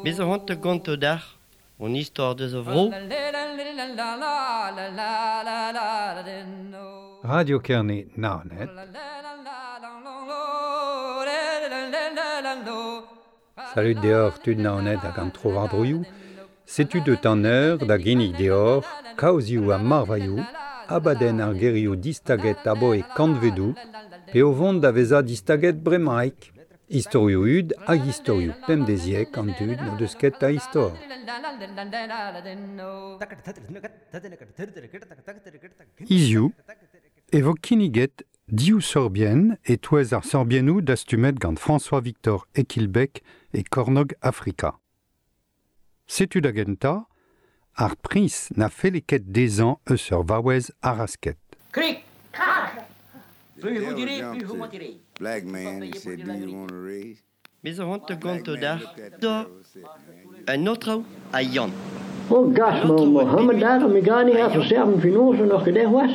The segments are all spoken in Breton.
Bez zo c'hoant da gontañ deoc'h hon istor deus a vro. Radio Kerne Naoned. Salut deoc'h tud Naoned hag an tro-war-droioù. Setu deut an eur da ginnig deoc'h kaozioù ha marvailhoù, abadenn ar gerioù distaget aboe kantvedoù, pe o vont da vezañ distaget bremaik. Istorioù hud hag istorioù pemdeziek an dud n'o deus ket a istor. Hiziv e vo kinniget div sorbienn e-touez ar sorbiennoù dastumet gant François-Victor Ekilbek e Kornôg Afrika. Setu da gentañ ar priñs na felle ket dezhañ eus ur vaouez arasket. Krik, krak. Plus vous direz, plus vous mentirez. Black man, he said, do you want a raise? Bez zo c'hoant da Black gontañ man deoc'h looked at the da girl and said, man, you un aotrou ha Yann. Oh gas, An aotrou ma a Mohammed bep daar, mi gani ha ha Yann. verserven finozen nog gedaan was.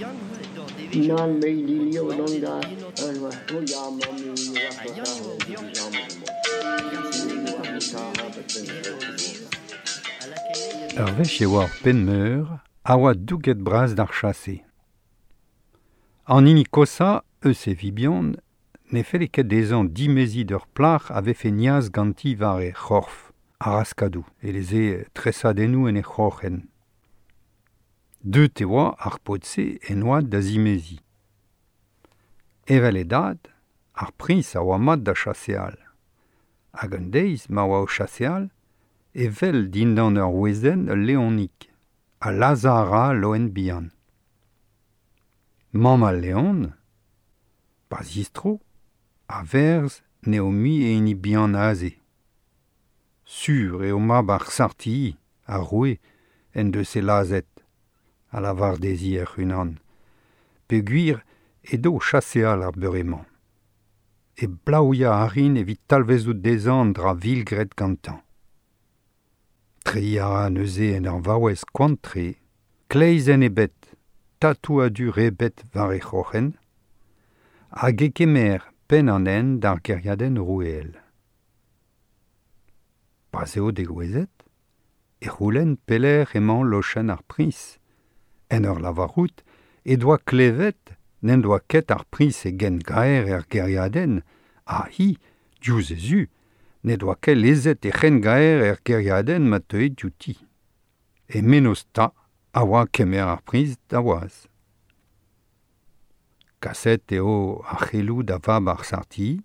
Yann oa d'ar devezhioù Nan me die o leeuw dan tiwanet daar. en En was, oh ja, man, nu was Ha dat Yann daar, eo die Yann. samen Hag ar gemaakt. senegal Die gant an was dour daar, a lakae Ur wech e oa ur penn-meur a oa douget bras d'ar chase. An hini kosañ eus e vibion ne felle ket dezhañ dimeziñ d'ur plac'h a vefe niaz ganti war he c'horf, ar-raskadoù, eleze tresadennoù en he c'hroc'hen. Deut e oa ar paotr-se en oad da zimeziñ. Evel e dad, ar priñs a oa mat da chaseal. Hag un deiz ma oa o chaseal, e wel dindan ur wezenn ul leonig, ha lazhañ a ra loen bihan. Mamm al leon, pa zistro, a verz n'eo mui e hini bihan aze. Sur eo mab ar sartilli, ar roue, en deus e lazhet, a lavar dezhi hec'h-unan. Peogwir edo o chaseal ar beure-mañ. E blaouiañ a rin evit talvezout dezhañ an dra vil graet gantañ. Treiñ a ra neuze en ur vaouez koant-tre, kleizenn ebet, tatouadur ebet war he c'hroc'hen, hag e kemer penn an hent d'ar gêriadenn roueel. Pa'z eo degouezhet, e c'houlenn pelec'h emañ lochenn ar priñs. En ur lavarout e doa klevet n'en doa ket ar priñs e gengaer er gêriadenn, ha hi, diouzh he zu, ne doa ket lezet e c'hengaer er gêriadenn ma teue diouti. E mennozh 'ta a oa kemer ar priñs da waz. Kaset eo ar c'heloù da vab ar sartilli.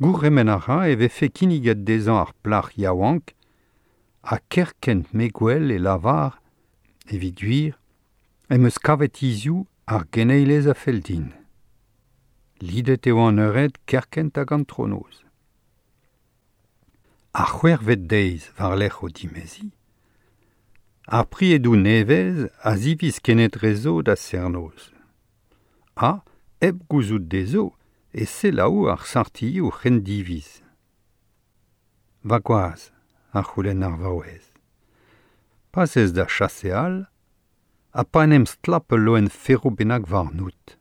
Gourc'hemenn a ra e vefe kinniget dezhañ ar plac'h yaouank ha kerkent me gwell e lavar, evit gwir, em eus kavet hiziv ar geneilez a fell din. Lidet eo an eured kerkent hag an tronoz. Ar c'hwec'hvet deiz war-lerc'h o dimeziñ, ar priedoù nevez a ziviz kenetrezo da serr-noz. Ha, hep gouzout dezho, e selaou ar sartilli o c'hendiviz. Va gwaz, a c'houlenn ar vaouez. Pa'z ez da chaseal, ha pa en em stlap ul loen ferv bennak warnout.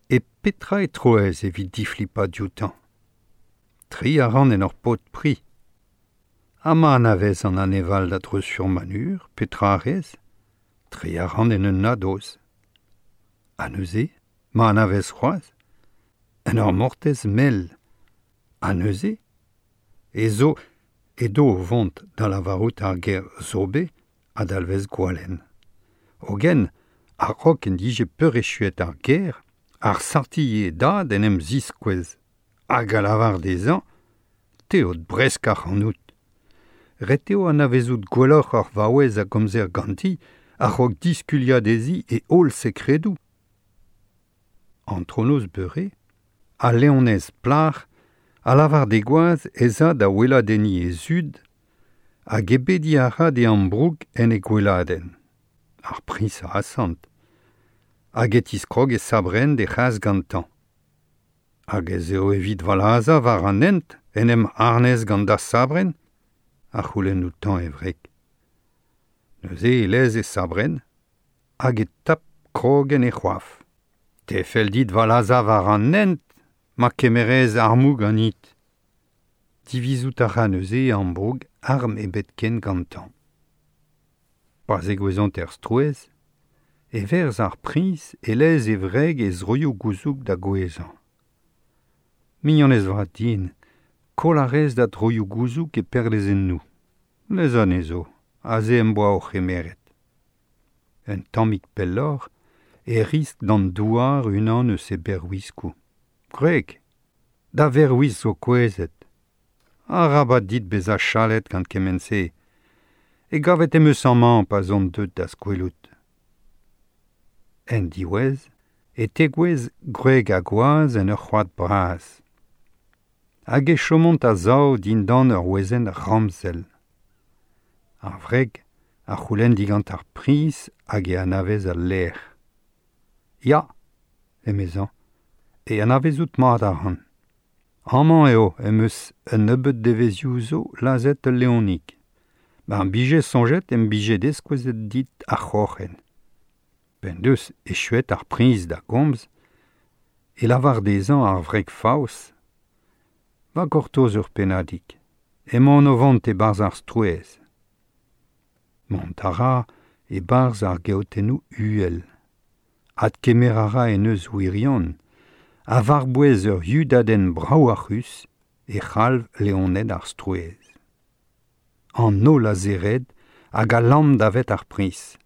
E petra e troez evit diflipañ dioutañ? Tri a ran en ur pod pri. Ha ma anavez an aneval da dreuz sur-manur, petra a rez? Tri a ran en un nadoz. Ha neuze, ma anavez c'hoazh, en ur mortez mell. Ha neuze, e zo edo o vont da lavarout ar ger zobe a dalvez gwalenn. Hogen, a-raok en dije peurechuet ar ger, ar sartilli e dad en em ziskouez. Hag a lavar dezhañ, teod bresk ac'hanout. Ret eo anavezout gwelloc'h ar vaouez a gomzer ganti a-raok diskuliañ dezhi e holl sekredoù. Antronoz beure, al leonez plac'h a lavar d'he gwaz ez a da weladenniñ he zud hag ebediñ a ra d'e ambroug en he gweladenn. Ar priñs a asant. Hag e tiskrog e sabrenn d'he c'has gantañ. Hag ez eo evit va lazhañ war an hent en em harnez gant da sabrenn a c'houlenn outañ e wreg. Neuze e lez e sabrenn hag e tap krog en e c'hoaf. Te fell dit va lazhañ war an hent ma kemerez armoù ganit. Divizout a ra neuze ambroug arm ebet ken gantañ. Pa zegouezhont er strouezh, e verz ar priñs e lez e wreg e zroioù gouzoug da gouezhañ. Mignonez vat din, koll a rez da droioù gouzoug e perlezennoù. Lez anezho, aze em boa o c'hemeret. Un tammig pelloc'h e riskl d'an douar unan eus e berwiskoù. Gwreg, da verwisk zo kouezhet. Arabat dit bezañ chalet gant kement-se. E gavet em eus amañ pa'z on deuet da'z kwelout. En diwezh e tegouezh gwreg ha gwaz en ur c'hoad bras. Hag e chomont a-sav dindan ur wezenn ramzel. Ar wreg a c'houlenn digant ar priñs hag e anavez al lec'h. Ya, emezañ, e anavezout mat a ran. Amañ eo em eus un nebeud devezhioù zo lazhet ul leonig. Mar bije soñjet em bije deskouezet dit ar c'hroc'hen. P'en deus echuet ar priñs da gomz e lavar dezhañ ar wreg faos Va gortoz ur pennadig. Emaon o vont e-barzh ar strouezh. Mont a ra e-barzh ar geotennoù uhel. Adkemer a ra en eus wirion ha war-bouez ur yudadenn braouac'hus e c'halv leoned ar strouezh. An holl a zered hag a lamm davet ar priñs.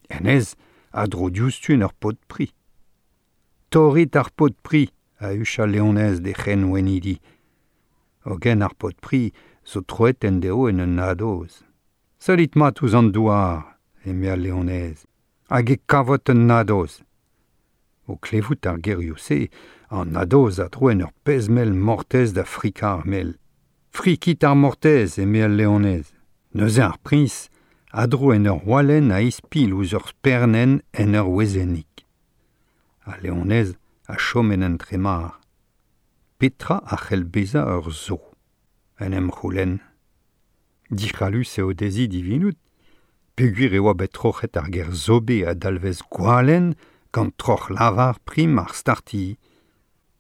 Hennezh a dro diouzhtu en ur pod-pri. Torrit ar pod-pri, a huch al leonez d'he c'henwennidi. Hogen ar pod-pri zo troet endeo en un nadoz. Sellit mat ouzh an douar, eme al leonez, hag e kavot un nadoz. O klevout ar gerioù-se, an nadoz a dro en ur pezh-mell mortez da frikañ ar mell. Frikit ar mortez, eme al leonez. Neuze ar priñs a dro en ur walenn a-ispilh ouzh ur spernenn en ur wezennig. Al leonez a chom en entremar. Petra a c'hell bezañ ur zoo? En em c'houlenn. Dic'hallus eo dezhi divinout peogwir e oa bet troc'het ar ger zobe a dalvez gwalenn gant troc'h-lavar prim ar startilh.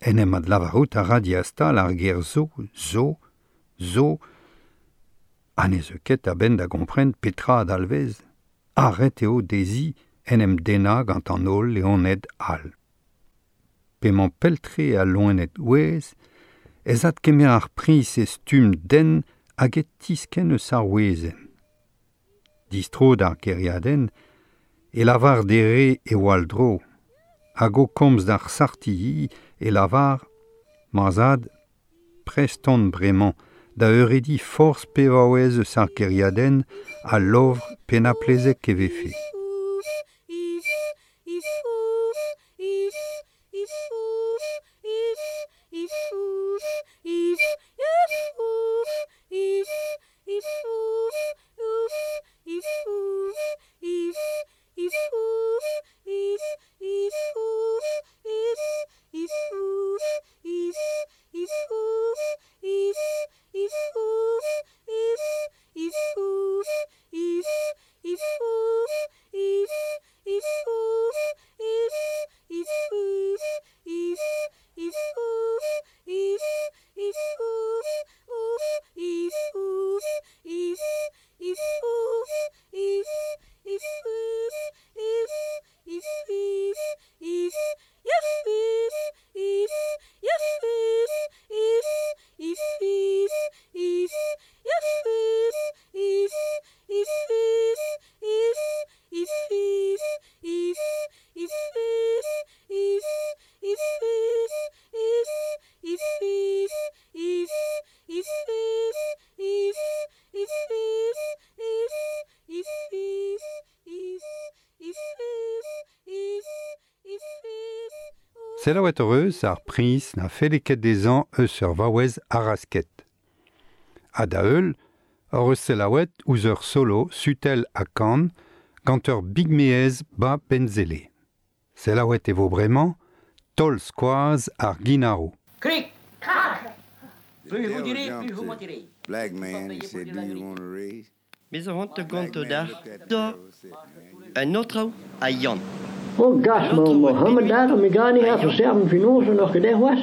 En em adlavarout a ra diastal ar ger zo, zo, zo, ha ne zeu ket a-benn da gompren petra a dalvez. Ha ret eo dezhi en em dennañ gant an holl leoned all. P'emañ pell-tre al loened gouez ez adkemer ar priñs e stumm den hag e tiskenn eus ar wezenn. Distro d'ar gêriadenn e lavar d'e re e wall-dro, hag o komz d'ar sartilli e lavar Ma zad, prest on bremañ da eurediñ forzh pe vaouez eus ar gêriadenn a lovr pennañ-plezek e vefe. Selaouet hoc'h eus ar priñs na felle ket dezhañ eus ur vaouez arasket. Ha da heul hoc'h eus selaouet ouzh ur solo sutell ha kan gant ur bigmeez 'ba Penzele. Selaouet e vo bremañ taol-skoaz ar ginaroù. Krik, krak! Plus vous direz, plus vous mentirez. Black man, he said, do you want a raise? Me zo c'hoant da gontañ deoc'h da un aotrou ha Yann. O gas ma Mohammed daar me gani ha verserven finoze nog gedeg was.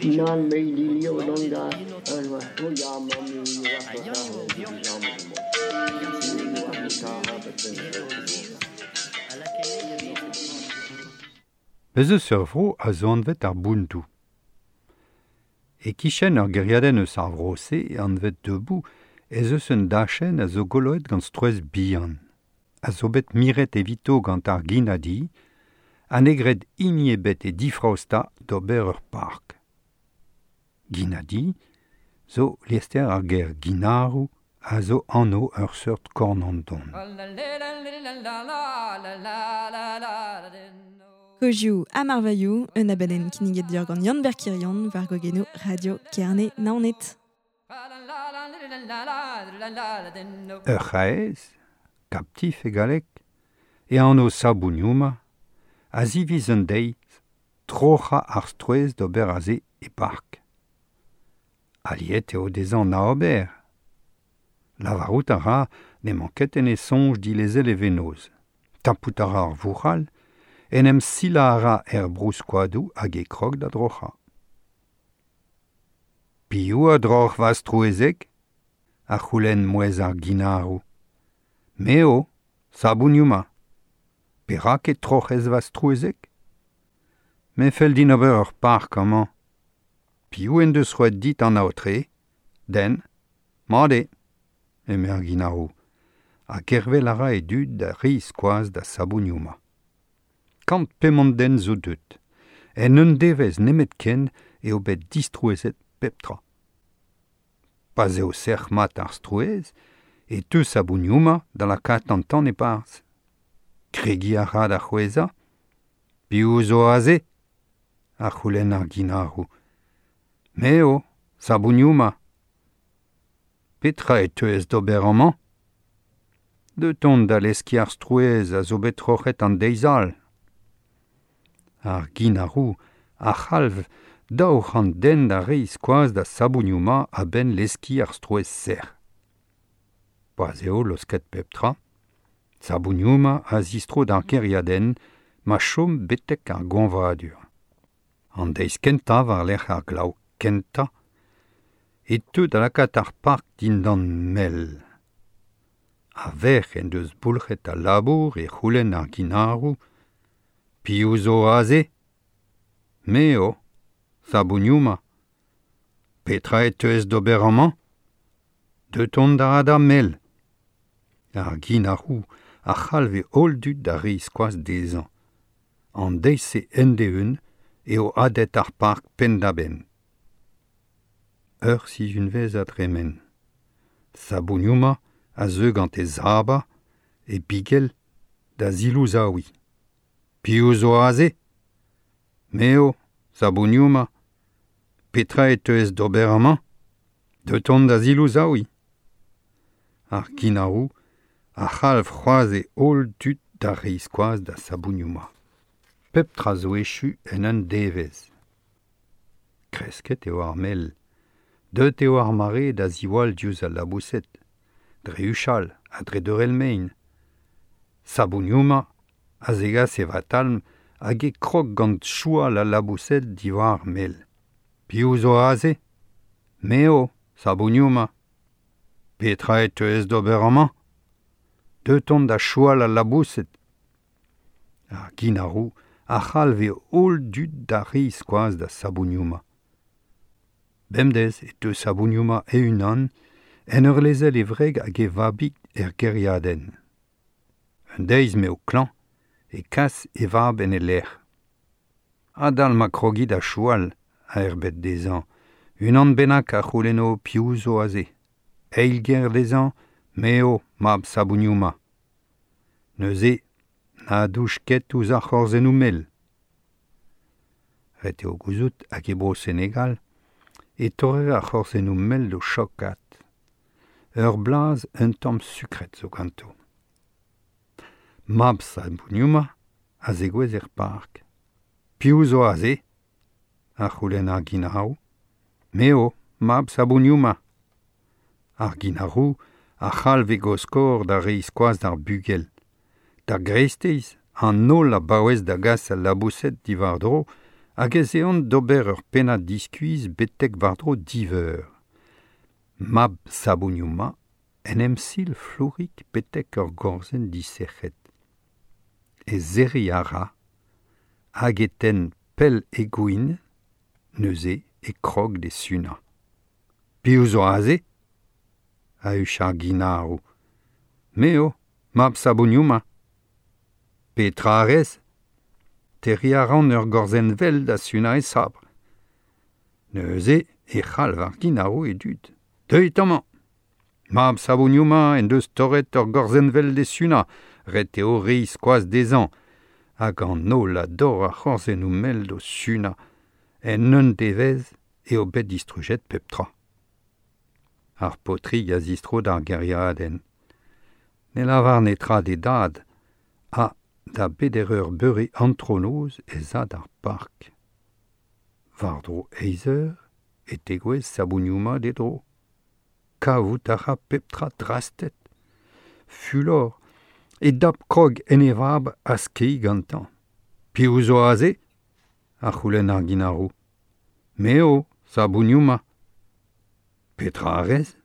Nan me die lieve dan daar. En was o ja mam Bez eus ur vro a zo anvet ar Buntou. E kichen ur geriadenn eus ar vro-se anvet debout ez eus un dachenn a zo goloet gant strouezh bihan. A zo bet miret evito gant ar ginadi, ha ne gred hini ebet e difraosta d'ober ur park. Ginadi zo liester ar ger ginaroù a zo anv ur seurt kornandon. Kozioù ha marvailhoù, un abadenn kinniget deoc'h gant Yann Berkirion war gogenoù Radio Kerne Naoned. Ur c'haez, kaptif e galleg, e anv Sabuniouma, a ziviz un deiz troc'hañ ar strouezh d'ober aze e park. Aliet eo dezhañ na ober. Lavarout a ra n'emañ ket en e soñj dilezel e venoz. Tapout a ra ar vourc'hal, en em silañ a ra er brouskoadoù hag e krog da droc'hañ. Piv a droc'h va strouezheg ? A c'houlenn mouezh ar ginaroù. Me eo, Sabuniouma. Perak e troc'hez va strouezheg ? Me fell din ober ur park amañ. Piv en deus roet dit an aotre ? Den. Mat eo, eme ar ginaroù. Ha gervel a ra e dud da reiñ skoaz da Sabuniouma. Kant pemont den zo deut. En un devezh nemetken eo bet distrouezhet pep tra. Pa'z eo sec'h mat ar strouezh, e teu Sabuniouma da lakaat an tan e-barzh. Kregiñ a ra da c'hwezhañ. Piv zo aze ? A c'houlenn ar ginaroù. Me eo, Sabuniouma. Petra e teuez d'ober amañ ? Deut on da leskiñ ar strouezh a zo bet troc'het an deiz all. Ar ginaroù a c'halv 200 den da reiñ skoaz da Sabuniouma a-benn leskiñ ar strouezh sec'h. Pa'z eo losket pep tra, Sabuniouma a zistro d'ar kêriadenn ma chom betek ar goañvadur. An deiz kentañ war-lerc'h ar glav kentañ e teu da lakaat ar park dindan mell. A-vec'h en deus boulc'het al labour e c'houlenn ar ginaroù Piv zo aze ? Me eo, Sabuniouma. Petra e teuez d'ober amañ ? Deut on da hadañ mell. Ar ginaroù a c'halv e holl dud da reiñ skoaz dezhañ. An deiz-se end-eeun eo hadet ar park penn-da-benn. Ur sizhunvezh a dremen. Sabuniouma a zeu gant e zaba, e bigell, da zilouzaouiñ. Piv zo aze ? Me eo, Sabuniouma. Petra e teuez d'ober amañ ? Deut on da zilouzaouiñ. Ar ginaroù a c'halv c'hoazh e holl dud da reiñ skoaz da Sabuniouma. Pep tra zo echu en un devezh. Kresket eo ar mell. Deut eo ar mare da ziwall diouzh al laboused, dre huchal ha dre deurel mein. Sabuniouma a zegas e vatalm hag e krog gant choual al laboused diwar ar mell. Piv zo aze ? Me eo, Sabuniouma. Petra e teuez d'ober amañ ? Deut on da choual al laboused. Ar ginaroù a c'halv e holl dud da reiñ skoaz da Sabuniouma. Bemdez e teu Sabuniouma e-unan en ur lezel e wreg hag e vabig er gêriadenn. Un deiz m'eo klañv e kas e vab en e lec'h. Adal ma krogi da choual a erbed dezhañ, unan bennak a c'houlenno piv zo aze. Eil ger dezhañ, me eo mab Sabuniouma. Neuze, na douch ket ouzh ar c'horzennoù mell. Ret eo gouzout hag e bro Senegal e torrer ar c'horzennoù mell d'o chokat. Ur blaz un tamm sukret zo ganto. Mab Sabuniouma a zegouezh er park. Piv zo aze ? A c'houlenn ar ginaroù. Me eo, mab Sabuniouma. Ar ginaroù a c'halv e goskor da reiñ skoaz d'ar bugel. Da greisteiz An holl a baouez da gas al laboused diwar-dro hag ez eont d'ober ur pennad diskuizh betek war-dro div eur. Mab Sabougnoma en em sil flourik betek ur gorzenn disec'het. E serriñ a ra hag e tenn pell e gwin, neuze e krog d'e sunañ. Piv zo aze ? A huch ar ginaroù. Me eo, mab Sabougnoma. Petra a rez ? Terriñ a ran ur gorzenn vel da sunañ e sabr. Neuze e c'halv ar ginaroù e dud. Deuit amañ ! Mab Sabougnoma en deus torret ur gorzenn vel d'e sunañ, ret eo reiñ skoaz dezhañ. Hag an holl a dorr ar c'horzennoù mell d'o sunañ. En un devezh eo bet distrujet pep tra. Ar paotrig a zistro d'ar gêriadenn. Ne lavar netra d'e dad ha da beder eur beure antronoz ez a d'ar park. War-dro eizh eur e tegouezh Sabougnoma d'e dro. Kavout a ra pep tra drastet. Fulor e dap krog en e vab ha skeiñ gantañ. Piv zo aze ? A c'houlenn ar ginaroù. Me eo, Sabougnoma. Petra a rez ?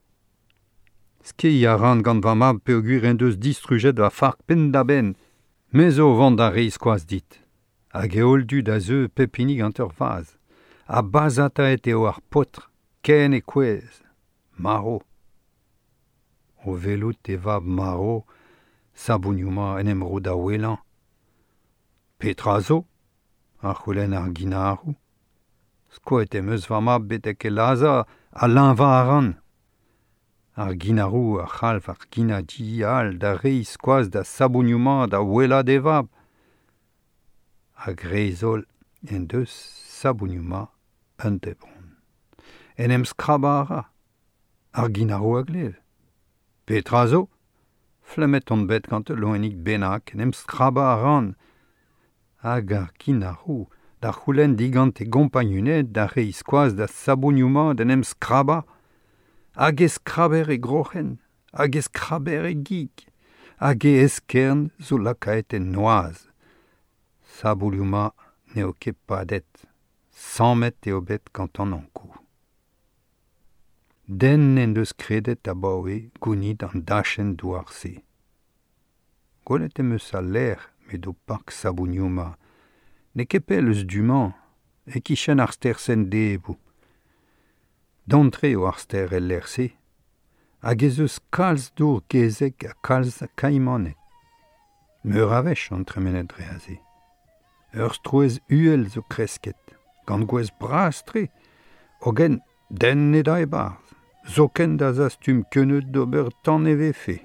Skeiñ a ran gant va mab peogwir en deus distrujet va fark penn-da-benn. Me zo o vont da reiñ skoaz dit. Hag e holl dud a zeu pep hini gant ur vazh. Ha bazhataet eo ar paotr, ken e kouezh. Marv. O welout e vab marv, Sabougnoma en em ro da ouelañ. Petra zo ? A c'houlenn ar ginaroù. Skoet em eus va mab betek e lazhañ ha leñvañ a ran. Ar ginaroù a c'halv ar ginadi all da reiñ skoaz da Sabougnoma da ouelañ d'e vab. A-greiz-holl en deus Sabougnoma un debron. En em skrabañ a ra. Ar ginaroù a glev. Petra zo ? Flemmet on bet gant ul loenig bennak, en em skrabañ a ran. Hag ar ginaroù da c'houlenn digant e gompagnuned da reiñ skoaz da Sabougnoma d'en em skrabañ. Hag e skraber e groc'hen, hag e skraber e gig, hag e eskern zo lakaet en noazh. Sabougnoma n'eo ket padet, sammet eo bet gant an Ankou. Den n'en deus kredet abaoe gounit an dachenn douar-se. Gwelet em eus al lec'h m'edo park Sabougnoma. N'eo ket pell eus du-mañ, e-kichen ar stêr Sendebou. Don-tre eo ar stêr el lec'h-se, hag ez eus kalz dour gezeg ha kalz kaimaned. Meur a wech on tremenet dre aze. Ur strouezh uhel zo kresket, gant gwez bras-tre, hogen den ne da e-barzh, zoken da zastum keuneud d'ober tan e vefe.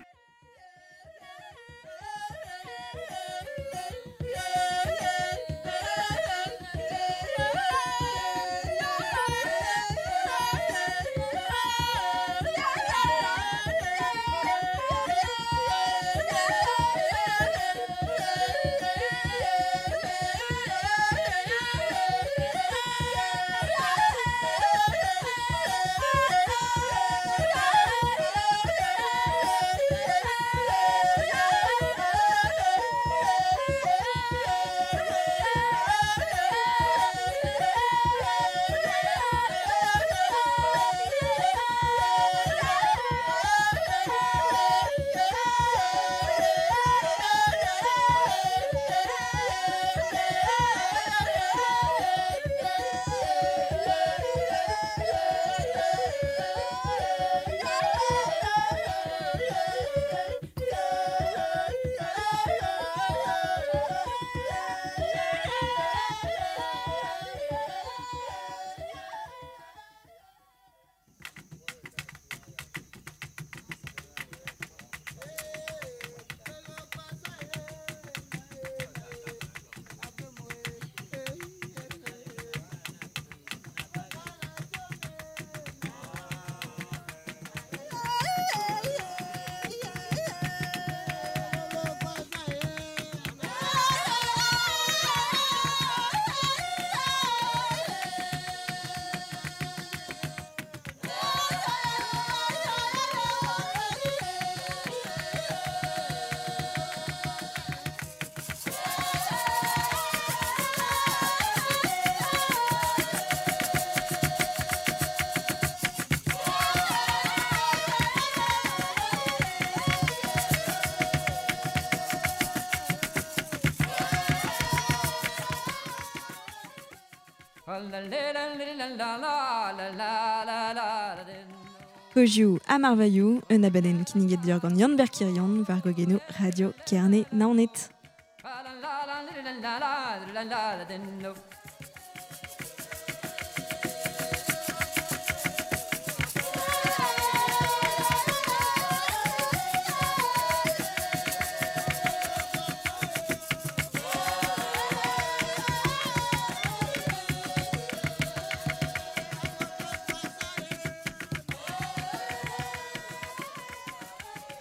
Kozioù ha marvailhoù, un abadenn kinniget deoc'h gant Yann Berkirion war gogenoù Radio Kerne Naoned.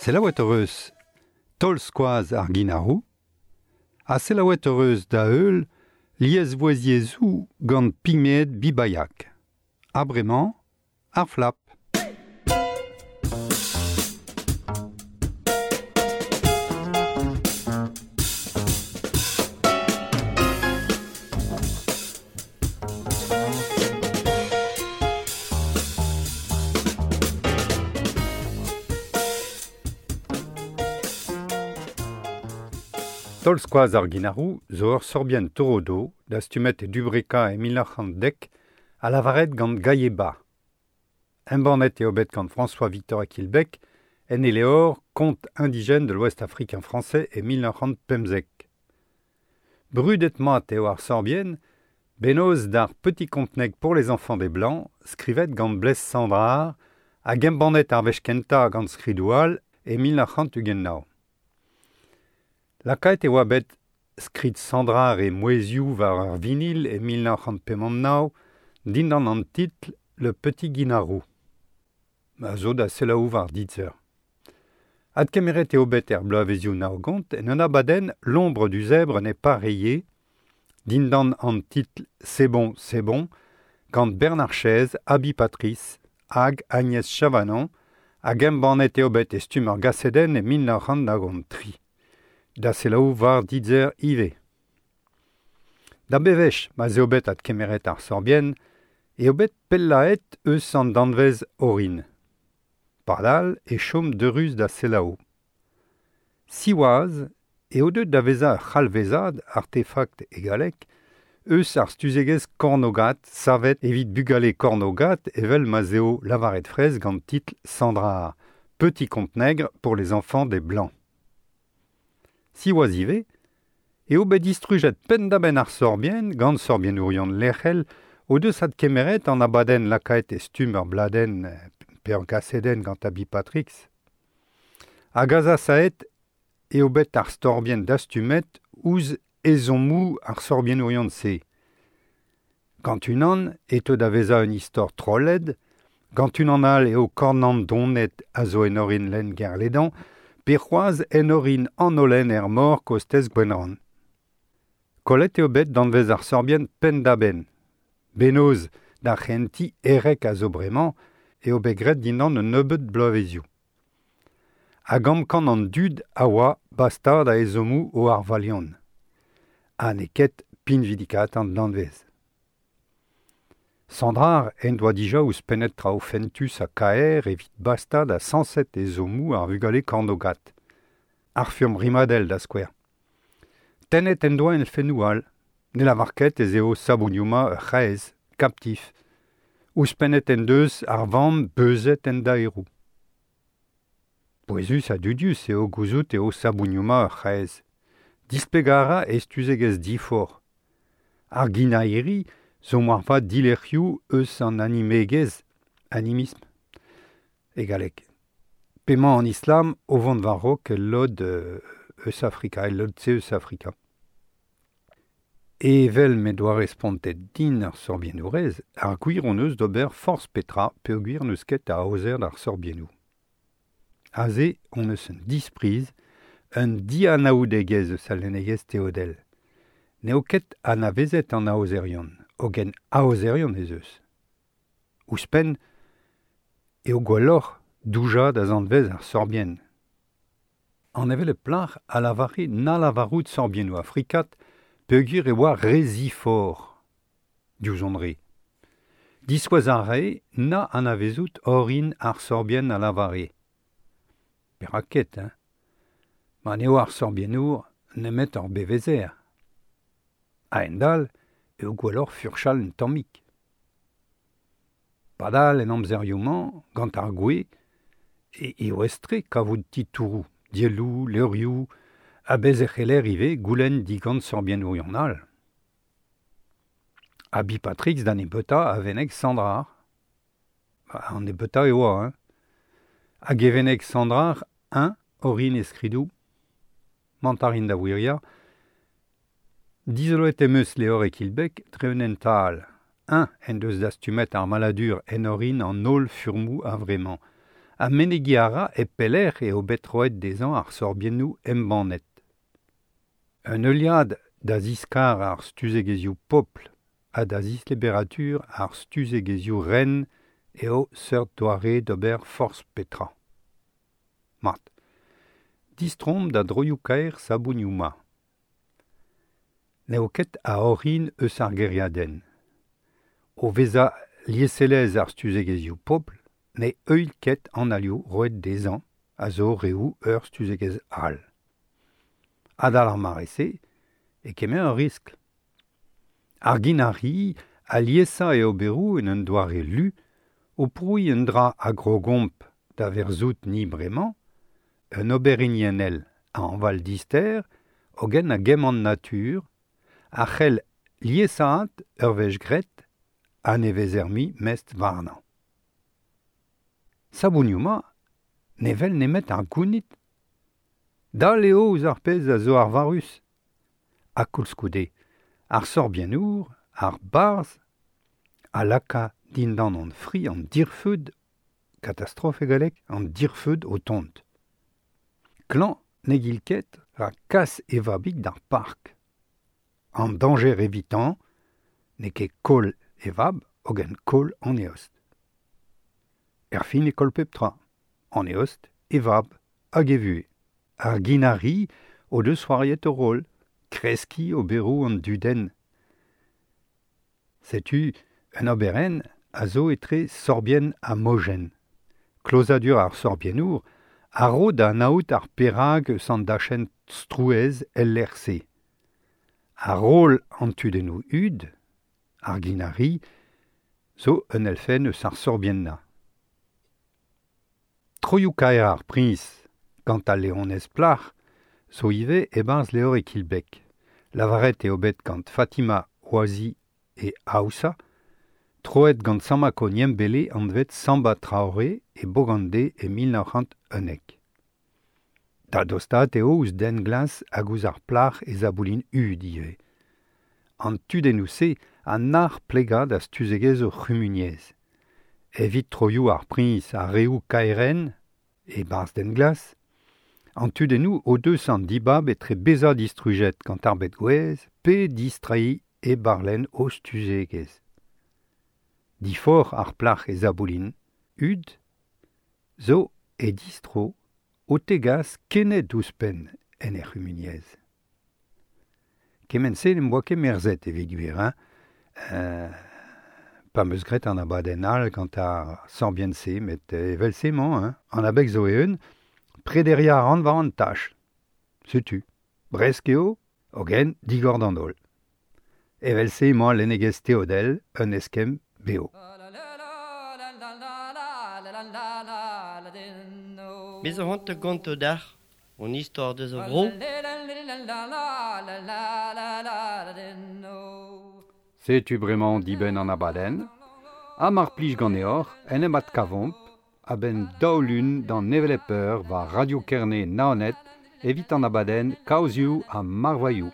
Selaouet hoc'h eus taol-skoaz ar Ginaroù ha selaouet hoc'h eus da heul liesvouezhiezhoù gant pigmeed Bibaiak. Ha bremañ, ar flap. Taol-skoaz ar Ginaroù zo ur sorbienn torodo dastumet e Dubreka e 1910 ha lavaret gant Gaieba. Embannet eo bet gant François-Victor Aquilbec en e levr Conte indigène de l'Ouest africain français e 1915. Brudet-mat eo ar sorbienn, bennozh d'ar Petit conte nègre pour les enfants des Blancs, skrivet gant Blaise Cendrars hag embannet ar wech kentañ gant skridoù all e 1929. Lakaet e oa bet skrid Cendrars e mouezhioù war ur vinil e 1959 dindan an titl Le Petit Guinarou. A zo da selaou war Deezer. Adkemeret eo bet er bloavezioù naogont en un abadenn L'ombre du zèbre n'est pas rayée dindan an titl C'est bon, c'est bon gant Bernard Chèze, Abi Patrice hag Agnès Chavanon hag embannet eo bet e stumm ur gasedenn e 1993. Da selaou war Deezer ivez. Da bevech ma 'z eo bet adkemeret ar sorbienn eo bet pellaet eus an danvez orin. Padal e chom deurus da selaou. Siwazh eo deuet da vezañ ur c'halvezad artefakt e galleg eus ar stuzegezh kornogat savet evit bugale kornogat evel ma 'z eo lavaret fraezh gant titl Cendrars, Petit conte nègre pour les enfants des Blancs. Siwazh ivez eo bet distrujet penn-da-benn ar sorbienn gant sorbiennourion lec'hel o deus adkemeret an abadenn lakaet e stumm ur bladenn pe ur gasedenn gant Abi Patrix. Hag azasaet eo bet ar sorbienn dastumet ouzh ezhommoù ar sorbiennourion-se. Gant unan e teu da vezañ un istor trolled, gant unan all eo kornandoned a zo en orin lenn Gerledan pe c'hoazh en orin an holen er mor kostez Gwenrann. Kollet eo bet danvez ar sorbienn penn-da-benn. Bennozh d'ar c'hentiñ herrek a zo bremañ eo bet graet dindan un nebeud bloavezioù. Hag amkan an dud a oa bastañ da ezhommoù o arvalion. Ha n'eo ket pinvidikaat an danvez. Cendrars en doa dija ouzhpennet traoù fentus ha kaer evit bastañ da sañset ezhommoù ar vugale kornogat. Ar furm rimadell da skouer. Tennet en doa elfennoù all. Ne lavar ket ez eo Sabougnoma ur c'haezh, kaptif. Ouzhpennet en deus ar vamm beuzet en daeroù. Pouezus ha dudius eo gouzout eo Sabougnoma ur c'haezh. Displegañ a ra e stuzegezh diforc'h. Ar ginaeri zo moarvat dilec'hioù eus an animegezh, animisme, e galleg. P'emañ an islam o vont war-raok el lod eus Afrika, el lod-se eus Afrika. Evel m'he doa respontet din ar sorbiennourez, ar gwir hon eus d'ober forzh petra peogwir n'eus ket a aozer d'ar sorbiennoù. Aze hon eus un dispriz, un dianaoudegezh eus al lennegezh teodel. N'eo ket anavezet an aozerion, hogen aozerion ez eus. Ouzhpenn eo gwelloc'h doujañ da zanvez ar sorbienn. An hevelep plac'h a lavare na lavarout sorbiennoù afrikat peogwir e oa re ziforc'h diouzh hon re. Diskouez a rae na anavezout orin ar sorbienn a lavare. Perak ket, hein? Ma n'eo ar sorbiennour nemet ur bevezer. A-hend-all eo gwelloc'h furchal un tammig. Padal en amzerioù-mañ, gant ar gwez, eo aes-tre kavout titouroù, dielloù, levrioù, ha bez e c'heller ivez goulenn digant sorbiennourion all. Ha Bipatrix da nebeutañ a veneg Sandrar. An nebeutañ e oa, hein. Hag e veneg Sandrar un orin e skridoù. Mantarin da wiriañ. Dizoloet em eus levr e Kilbeg dre un hent-all. Un en deus dastumet ar maladur en orin an holl furmoù a-vremañ. Ha menegiñ a ra e pelec'h eo bet roet dezhañ ar sorbiennoù embannet. Un heuliad da ziskar ar stuzegezhioù pobl ha da zisleberatur ar stuzegezhioù ren eo seurt doare d'ober forzh petra. Mat. Distroomp da droioù-kaer Sabounioù-ma. N'eo ket a orin eus ar gêriadenn. O vezañ lieselezh ar stuzegezhioù pobl ne heuilh ket an alioù roet dezhañ a zo reoù ur stuzegezh all. Adal ar mare-se e kemer ur riskl. Ar ginari a liesañ e oberoù en un doare lu o prouiñ un dra a grogomp da verzout ni bremañ, un ober hiniennel a hañval dister hogen a gemm an natur, a c'hell liesaat ur wech graet ha ne vezer mui mestr warnañ. Sabounioù-ma ne wel nemet ar gounid. Dall eo ouzh ar pezh a zo arvarus. Ha koulskoude, ar sorbiennour, ar barzh, a laka dindan an fri an dirfeud, katastrof e galleg, an dirfeud o tont. Klañv ne gil ket rak kas e vabig d'ar park. An dañjer evitañ n'eo ket koll e vab hogen koll an eost. Erfin e koll pep tra, an eost, e vab hag e vuhez. Ar ginari o deus c'hoariet o roll, kreskiñ oberoù an dudenn. Setu un oberenn a zo etre sorbienn ha mojenn. Klozadur ar sorbiennour a ro da anaout ar perag eus an dachenn strouezh el lec'h-se. Ar roll an tudennoù hud, ar ginari, zo un elfenn eus ar sorbiennañ. Troioù-kaer ar priñs gant al leonez plac'h zo ivez e-barzh levr e Kilbeg. Lavaret eo bet gant Fatima Ouazi e Aoussa, troet gant Samako Niembele anvet Samba Traoré e Bogandé e 1911. Da dostaat eo ouzh den glas hag ouzh ar plac'h e zaboulin hud ivez. An tudennoù-se a nac'h plegañ da stuzegezh o c'humuniezh. Evit troioù ar priñs ha reoù kaerenn, e-barzh den glas, an tudennoù o deus an dibab etre bezañ distrujet gant ar bed gouez pe distreiñ e barlenn o stuzegezh. Diforc'h ar plac'h e zaboulin hud zo e distro o tegas kened ouzhpenn en he c'humuniezh. Kement-se n'em boa ket merzet evit gwir, hein. Pa 'm eus graet an abadenn all gant ar sorbienn-se, met evel-se emañ, hein. An abeg zo eeun, prederiañ a ran war an tach. Setu, bresk eo, hogen digor d'an holl. Evel-se emañ lennegezh teodel un eskemm bev. Me zo c'hoant da gontañ deoc'h hon istor deus ar vro. Setu bremañ dibenn an abadenn. Ha mar plij ganeoc'h en em adkavomp a-benn daou lun d'an hevelep eur war Radio Kerne Naoned evit an abadenn Kaozioù ha Marvailhoù.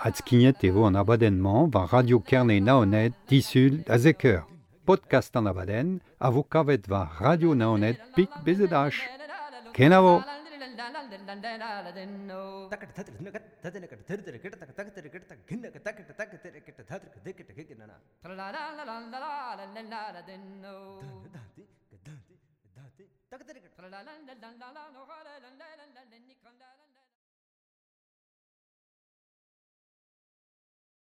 Adskignet e vo an abadenn-mañ war Radio Kerne Naoned disul da zek eur. Podcast an abadenn a vo kavet war Radio Naoned pik BZH. Kenavo!